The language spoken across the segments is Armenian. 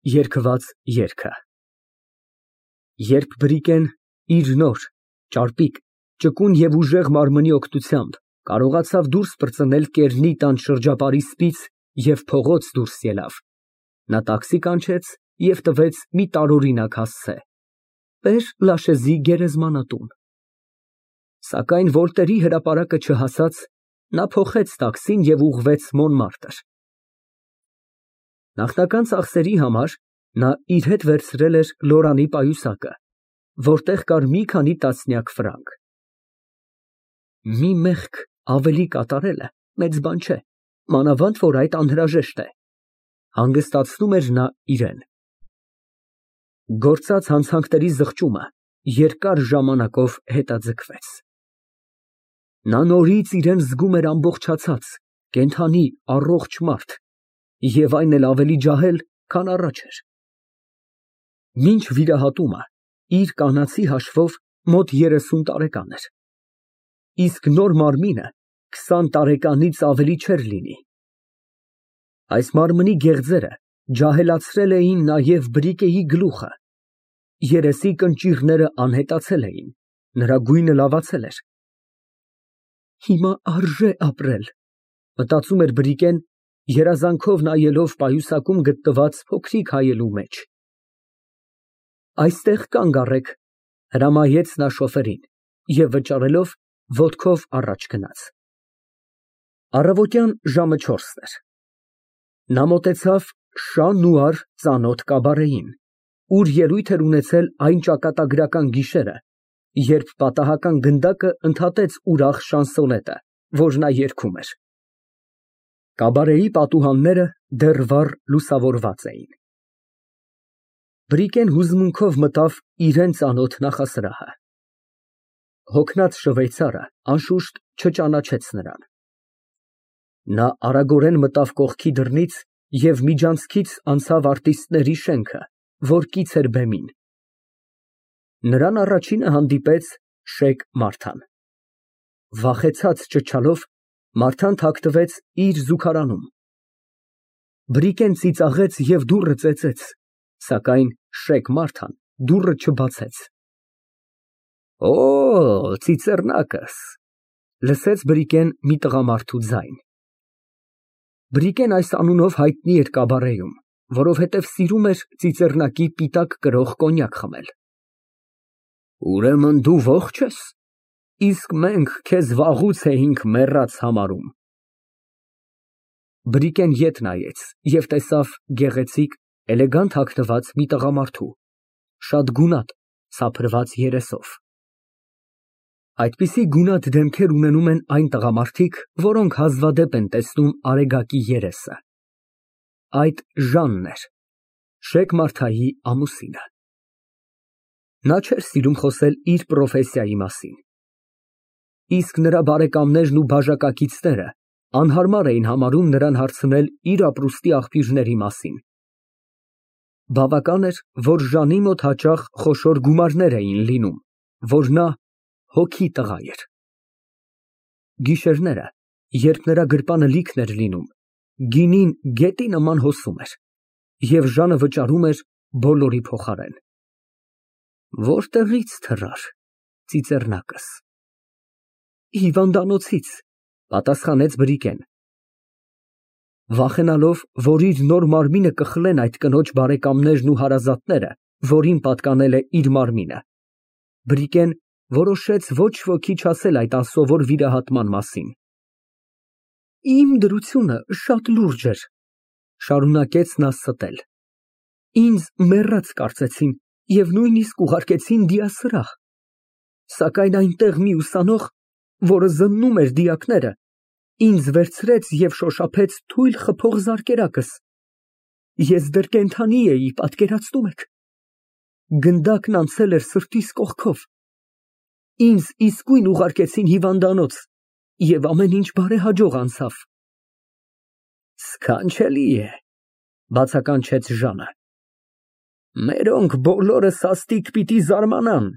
Երգված երգը Երբ Բրիկեն իր նոր, ճարպիկ, ճկուն և ուժեղ մարմնի օգնությամբ կարողացավ դուրս պրծնել կեռնի տան շրջապարի սպից և փողոց դուրս ելավ, նա տաքսի կանչեց և տվեց մի տարօրինակ հասցե. բեր Լաշեզի գերեզմանատուն։ Սակայն Վոլտերի հրապարակը չհասած, նա փոխեց տաքսին և ուղղվեց Մոնմարտր։ Նախնական ծախսերի համար նա իր հետ վերցրել էր Լորանի պայուսակը, որտեղ կար մի քանի տասնյակ ֆրանկ։ Մի մեղք ավելի կատարելը մեծ բան չէ, մանավանդ որ այդ անհրաժեշտ է, հանգստացնում էր նա իրան։ Գործած հանցանքների զղջումը երկար ժամանակով հետաձգվեց։ Նա նորից իրան զգում էր ամբողջացած, կենդանի, առողջ մարդ և այն էլ ավելի ջահել, քան առաջ էր։ Մինչ վիրահատումը իր կանացի հաշվով մոտ 30 տարեկան էր, իսկ նոր մարմինը 20 տարեկանից ավելի չէր լինի։ Այս մարմնի գեղձերը ջահելացրել էին նաև Բրիկեի գլուխը, երեսի կնճիռները անհետացել էին, նրա գույնը լավացել էր։ Հիմա արժե ապրել, մտածում էր Բրիկեն, երազանքով նայելով պայուսակում գտնված փոքրիկ հայելու մեջ։ Այստեղ կանգ առեք, հրամայեց նա շոֆերին և վճարելով, ոտքով առաջ գնաց։ Առավոտյան ժամը 4-ն էր։ Նա մոտեցավ Շան-Նուար ծանոթ կաբարեին, ուր ելույթ էր ունեցել այն ճակատագրական գիշերը, երբ պատահական գնդակը ընդհատեց ուրախ շանսոնետը, որ նա երգում էր։ Կաբարեի պատուհանները դեռ վառ լուսավորված էին։ Բրիկեն հուզմունքով մտավ իրան ծանոթ նախասրահը։ Հոգնած շվեյցարը անշուշտ չճանաչեց նրան։ Նա արագորեն մտավ կողքի դռնից և միջանցքից անցավ արտիստների շենքը, որ կից էր բեմին։ Նրան առաջինը հանդիպեց Շեյք Մարթան։ Վախեցած ճչալով, Մարթան թաքնվեց իր զուգարանում։ Բրիկեն ծիծաղեց և դուռը ծեծեց, սակայն Շեյք Մարթան դուռը չբացեց։ Օ, ծիծեռնակս, լսեց Բրիկեն մի տղամարդու ձայն։ Բրիկեն այս անունով հայտնի էր կաբարեում, որովհետև սիրում էր ծիծեռնակի պիտակ կրող կոնյակ խմել։ Ուրեմն դու ողջ ես, իսկ մենք քեզ վաղուց էինք մեռած համարում։ Բրիկեն ետ նայեց և տեսավ գեղեցիկ, էլեգանտ հագնված մի տղամարդու, շատ գունատ, սափրված երեսով։ Այդպիսի գունատ դեմքեր ունենում են այն տղամարդիկ, որոնք հազվադեպ են տեսնում արեգակի երեսը։ Այդ Ժանն էր, Շեյք Մարթայի ամուսինը։ Նա չէր սիրում խոսել իր պրոֆեսիայի մասին, իսկ նրա բարեկամներն ու բաժակակիցները անհարմար էին համարում նրան հարցնել իր ապրուստի աղբյուրների մասին։ Բավական էր, որ Ժանի մոտ հաճախ խոշոր գումարներ էին լինում, որ նա հոգի տղա էր։ Գիշերները, երբ նրա գրպանը լիքն էր լինում, գինին գետի նման հոսում էր, և Ժանը վճարում էր բոլորի փոխարեն։ Որտեղի՞ց թռար, ծիծեռնակս։ Հիվանդանոցից, պատասխանեց Բրիկեն։ Վախենալով, որ իր նոր մարմինը կխլեն այդ կնոջ բարեկամներն ու հարազատները, որին պատկանել է իր մարմինը, Բրիկեն որոշեց ոչ ոքի չասել այդ անսովոր վիրահատման մասին։ Իմ դրությունը շատ լուրջ էր, շարունակեց նա ստել։ Ինձ մեռած կարծեցին և նույնիսկ ուղարկեցին դիասրահ, սակայն այնտեղ մի ուսանող, որը զննում էր դիակները, ինձ վերցրեց և շոշափեց թույլ խփող զարկերակս։ Ես դեռ կենդանի էի, պատկերացնում եք։ Գնդակն անցել էր սրտիս կողքով։ Ինձ իսկույն ուղարկեցին հիվանդանոց, և ամեն ինչ բարեհաջող անցավ։ Սքանչելի է, բացականչեց Ժանը։ Մերոնք բոլորը սաստիկ պիտի զարմանան,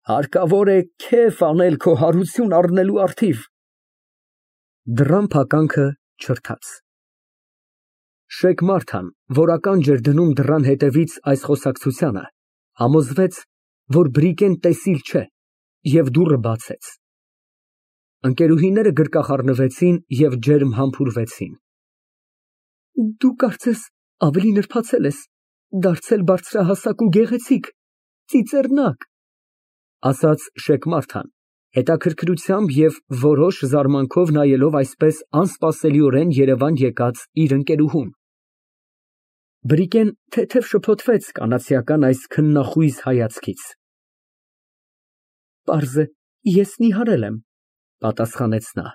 հարկավոր է քեֆ անել քո հարություն առնելու առթիվ։ Դռան փականքը չրթաց։ Շեկ Մարթան, որ ականջ էր դնում դռան հետևից այս խոսակցությանը, համոզվեց, որ Բրիկեն տեսիլ չէ և դուռը բացեց։ Ընկերուհիները գրկախառնվեցին և ջերմ համբուրվեցին։ Դու կարծես ավելի նրբացել ես, դարձել բարձրահասակ ու գեղեցիկ, ծիծեռնակ, ասաց Շեկ Մարթան, հետաքրքրությամբ և որոշ զարմանքով նայելով այսպես անսպասելիորեն երևան եկած իր ընկերուհուն։ Բրիկեն թեթև շփոթվեց կանացիական այս քննախույզ հայացքից։ Պարզ է, ես նիհարել եմ, պատասխանեց նա։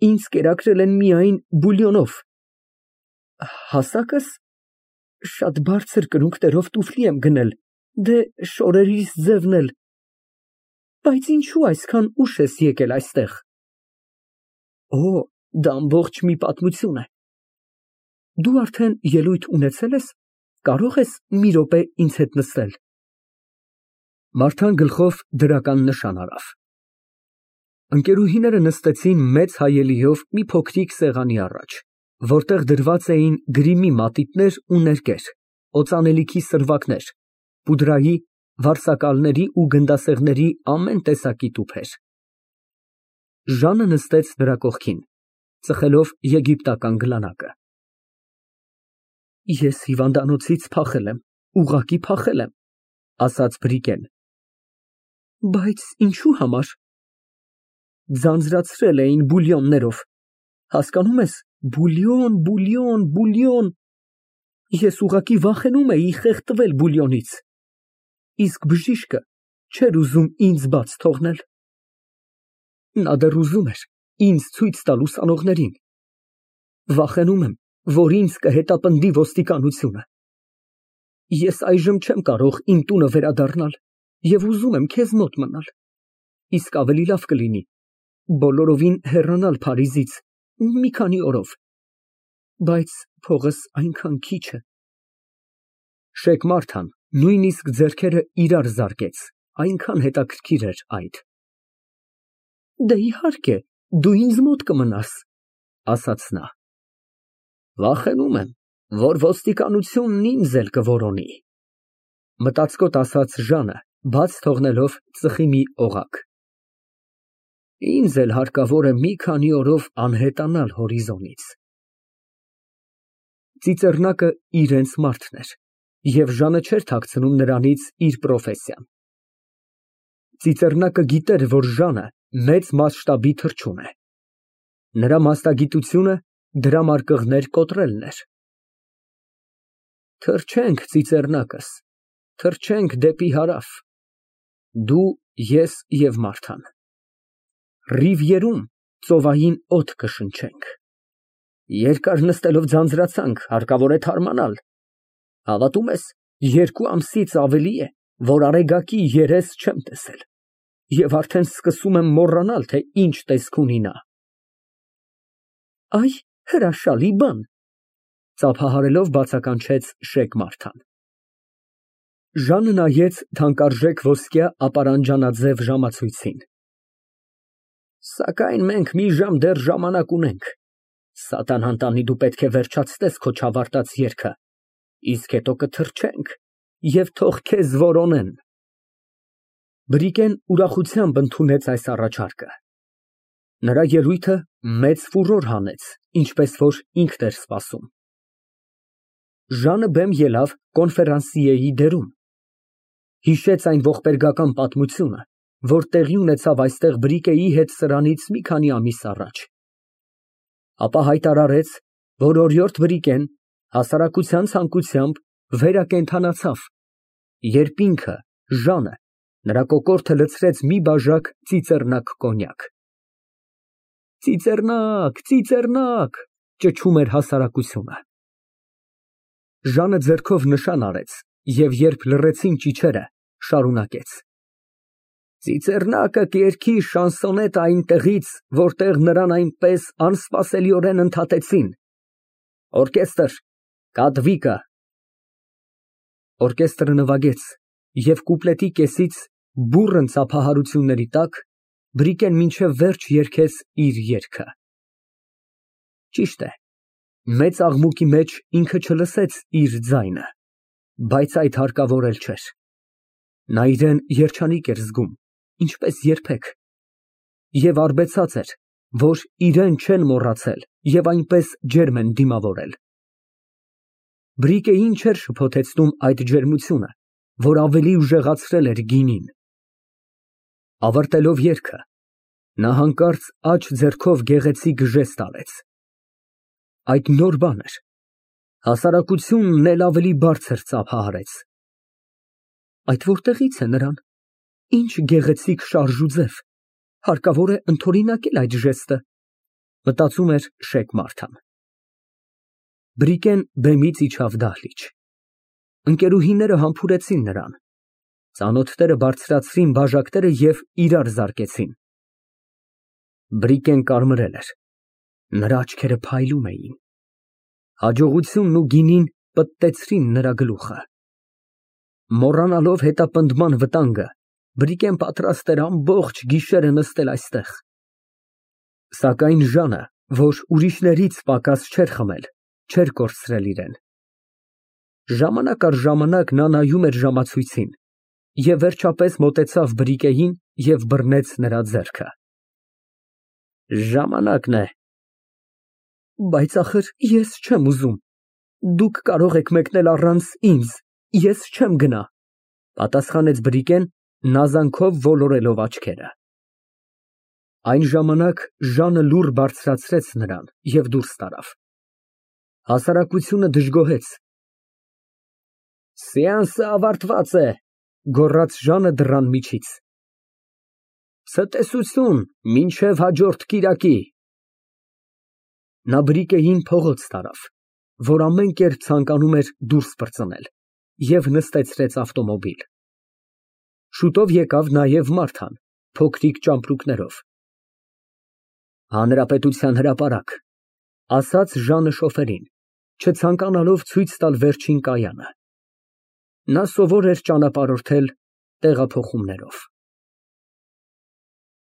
Ինձ կերակրել են միայն բուլյոնով։ Հասակս շատ բարձր կրունկներով տուֆլի եմ գնել, դե շորերիս ձևն էլ։ Բայց ինչու այսքան ուշ ես եկել այստեղ։ Օ, դա ամբողջ մի պատմություն է։ Դու արդեն ելույթ ունեցել ես, կարող ես մի րոպե ինձ հետ նստել։ Մարթան գլխով դրական նշան արավ։ Ընկերուհիները նստեցին մեծ հայելիով մի փոքրիկ սեղանի առաջ, որտեղ դրված էին գրիմի մատիտներ ու ներկեր, օծանելիքի սրվակներ, պուդրայի, վարսակալների ու գնդասեղների ամեն տեսակի տուփեր։ Ժանը նստեց նրա կողքին, ծխելով եգիպտական գլանակը։ Ես հիվանդանոցից փախել եմ, ուղղակի փախել եմ, ասաց Բրիկեն։ Բայց ինչու համար։ Ձանձրացրել էին բուլյոններով, հասկանում ես, բուլյոն։ Ես ուղղակի վախենում էի խեղդվել բուլյոնից, իսկ բժիշկը չէր ուզում ինձ բաց թողնել։ Նա դեռ ուզում էր ինձ ցույց տալ ուսանողներին։ Վախենում եմ, որ ինձ կհետապնդի ոստիկանությունը։ Ես այժմ չեմ կարող իմ տունը վերադառնալ և ուզում եմ քեզ մոտ մնալ, իսկ ավելի լավ կլինի բոլորովին հեռանալ Փարիզից մի քանի օրով, բայց փողս այնքան քիչ է։ Շեկ Մարթան նույնիսկ ձեռքերը իրար զարկեց, այնքան հետաքրքիր էր այդ։ Դե իհարկե, դու ինձ մոտ կմնաս, ասաց նա։ Վախենում եմ, որ ոստիկանությունն ինձ էլ կորոնի, մտածկոտ ասաց Ժանը, բաց թողնելով ծխի մի օղակ։ Ինձ էլ հարկավոր է մի քանի օրով անհետանալ հորիզոնից։ Ծիծեռնակը իրենց մարդն էր, և Ժանը չէր թաքցնում նրանից իր պրոֆեսիան։ Ծիծեռնակը գիտեր, որ Ժանը մեծ մասշտաբի թռչուն է։ Նրա մասնագիտությունը դրամարկղներ կոտրելն էր։ Թռչենք, ծիծեռնակս, թռչենք դեպի հարավ, դու, ես և Մարթան։ Ռիվիերում ծովային օդ կշնչենք։ Երկար նստելով ձանձրացանք, հարկավոր է թարմանալ։ Հավատում ես, 2 ամսից ավելի է, որ Արեգակի երես չեմ տեսել, և արդեն սկսում եմ մոռանալ, թե ինչ տեսք ունի նա։ Այ հրաշալի բան, ծափահարելով բացականչեց Շեկ Մարթան։ Ժանը նայեց թանկարժեք ոսկյա ապարանջանաձև ժամացույցին։ Սակայն մենք մի ժամ դեռ ժամանակ ունենք։ Սատանան տանի, դու պետք է վերջացնես քո չավարտած երգը, իսկ հետո կթռչենք և թող քեզ որոնեն։ Բրիկեն ուրախությամբ ընդունեց այս առաջարկը։ Նրա ելույթը մեծ ֆուրոր հանեց, ինչպես որ ինքն էր սպասում։ Ժանը բեմ ելավ կոնֆերանսիեի դերում։ Հիշեց այն ողբերգական պատմությունը, որ տեղի ունեցավ այստեղ Բրիկեի հետ սրանից մի քանի ամիս առաջ։ Ապա հայտարարեց, որ օրիորդ Բրիկեն հասարակության ցանկությամբ վերակենդանացավ, երբ ինքը, Ժանը, նրա կոկորդը լցրեց մի բաժակ ծիծեռնակ կոնյակ։ Ծիծեռնակ, ճչում էր հասարակությունը։ Ժանը ձեռքով նշան արեց և երբ լռեցին ճիչերը, շարունակեց. Ծիծեռնակը կերքի շանսոնետը այնտեղից, որտեղ նրան այնպես անսպասելիորեն ընդհատեցին։ Օրկեստր, կատվիկը։ Օրկեստրը նվագեց, և կուպլետի կեսից բուռն ծափահարությունների տակ Բրիկեն մինչև վերջ երգեց իր երգը։ Ճիշտ է, Մեծ աղմուկի մեջ ինքը չլսեց իր ձայնը, բայց այդ հարկավոր էլ չէր։ Նա իրան երջանիկ էր զգում, ինչպես երբեք, և արբեցած էր, որ իրան չեն մոռացել և այնպես ջերմ են դիմավորել։ Բրիկեին չէր շփոթեցնում այդ ջերմությունը, որ ավելի ուժեղացրել էր գինին։ Ավարտելով երգը, նա հանկարծ աջ ձեռքով գեղեցիկ ժեստ արեց։ Այդ նոր բան էր, հասարակությունն էլ ավելի բարձր ծափահարեց։ Այդ որտեղից է նրան, ինչ գեղեցիկ շարժ ու ձև, հարկավոր է ընդօրինակել այդ ժեստը, մտածում էր շեկ Մարթան։ Բրիկեն բեմից իջավ դահլիճ։ Ընկերուհիները համբուրեցին նրան, ծանոթները բարձրացրին բաժակները և իրար զարկեցին։ Բրիկեն կարմրել էր, նրա աչքերը փայլում էին։ Հաջողությունն ու գինին պտտեցրին նրա գլուխը։ Մոռանալով հետապնդման վտանգը, Բրիկեն պատրաստ էր ամբողջ գիշերը նստել այստեղ։ Սակայն Ժանը, որ ուրիշներից պակաս չէր խմել, չէր կորցրել իրան։ Ժամանակ առ ժամանակ նա նայում էր ժամացույցին և վերջապես մոտեցավ Բրիկեին և բռնեց նրա ձեռքը։ Ժամանակն է։ Բայց ախր ես չեմ ուզում, դուք կարող եք մեկնել առանց ինձ, ես չեմ գնա, պատասխանեց Բրիկեն, նազանքով ոլորելով աչքերը։ Այն ժամանակ Ժանը լուռ բարձրացրեց նրան և դուրս տարավ։ Հասարակությունը դժգոհեց։ Սեանսը ավարտված է, գոռաց Ժանը դռան միջից։ Ցտեսություն, մինչև հաջորդ կիրակի։ Նա Բրիկեին փողոց տարավ, որ ամեն կերպ ցանկանում էր դուրս պրծնել, և նստեցրեց ավտոմոբիլ։ Շուտով եկավ նաև Մարթան, փոքրիկ ճամպրուկներով։ Հանրապետության հրապարակ, ասաց Ժանը շոֆերին, չցանկանալով ցույց տալ վերջին կայանը։ Նա սովոր էր ճանապարհորդել տեղափոխումներով։